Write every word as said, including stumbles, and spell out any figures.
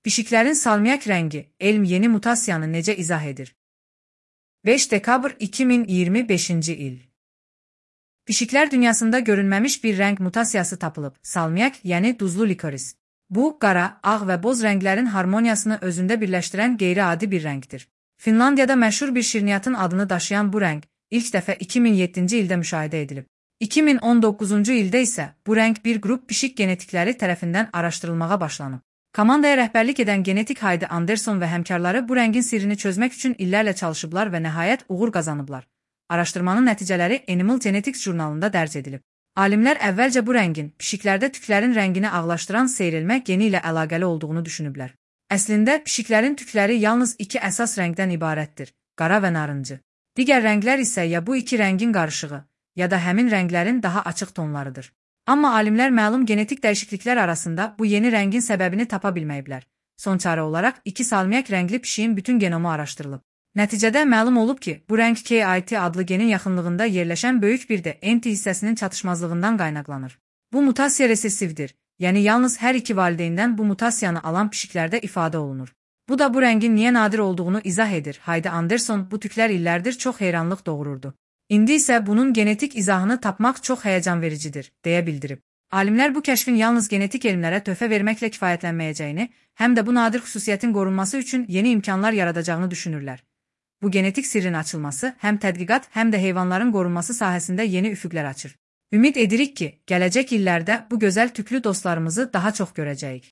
Pişiklərin salmiak rəngi, elm yeni mutasiyanı necə izah edir? beş dekabr iki min iyirmi beşinci il. Pişiklər dünyasında görünməmiş bir rəng mutasiyası tapılıb, salmiak, yəni duzlu likoris. Bu, qara, ağ və boz rənglərin harmoniyasını özündə birləşdirən qeyri-adi bir rəngdir. Finlandiyada məşhur bir şirniyyatın adını daşıyan bu rəng, ilk dəfə iki min yeddinci ildə müşahidə edilib. iki min on doqquzuncu ildə isə bu rəng bir qrup pişik genetikləri tərəfindən araşdırılmağa başlanıb. Komandaya rəhbərlik edən genetik Heidi Anderson və həmkarları bu rəngin sirrini çözmək üçün illərlə çalışıblar və nəhayət uğur qazanıblar. Araşdırmanın nəticələri Animal Genetics jurnalında dərc edilib. Alimlər əvvəlcə bu rəngin pişiklərdə tüklərin rəngini ağlaşdıran seyrilmə geni ilə əlaqəli olduğunu düşünüblər. Əslində, pişiklərin tükləri yalnız iki əsas rəngdən ibarətdir, qara və narıncı. Digər rənglər isə ya bu iki rəngin qarışığı, ya da həmin rənglərin daha açıq tonlarıdır. Amma alimlər məlum genetik dəyişikliklər arasında bu yeni rəngin səbəbini tapa bilməyiblər. Son çarə olaraq iki salmiak rəngli pişiyin bütün genomu araşdırılıb. Nəticədə məlum olub ki, bu rəng K I T adlı genin yaxınlığında yerləşən böyük bir də N T hissəsinin çatışmazlığından qaynaqlanır. Bu mutasiya resessivdir, yəni yalnız hər iki valideyndən bu mutasiyanı alan pişiklərdə ifadə olunur. Bu da bu rəngin niyə nadir olduğunu izah edir. Heidi Anderson bu tüklər illərdir çox heyranlıq doğururdu. İndi isə bunun genetik izahını tapmaq çox həyəcan vericidir, deyə bildirib. Alimlər bu kəşfin yalnız genetik elmlərə töhfə verməklə kifayətlənməyəcəyini, həm də bu nadir xüsusiyyətin qorunması üçün yeni imkanlar yaradacağını düşünürlər. Bu genetik sirrin açılması həm tədqiqat, həm də heyvanların qorunması sahəsində yeni üfüqlər açır. Ümid edirik ki, gələcək illərdə bu gözəl tüklü dostlarımızı daha çox görəcəyik.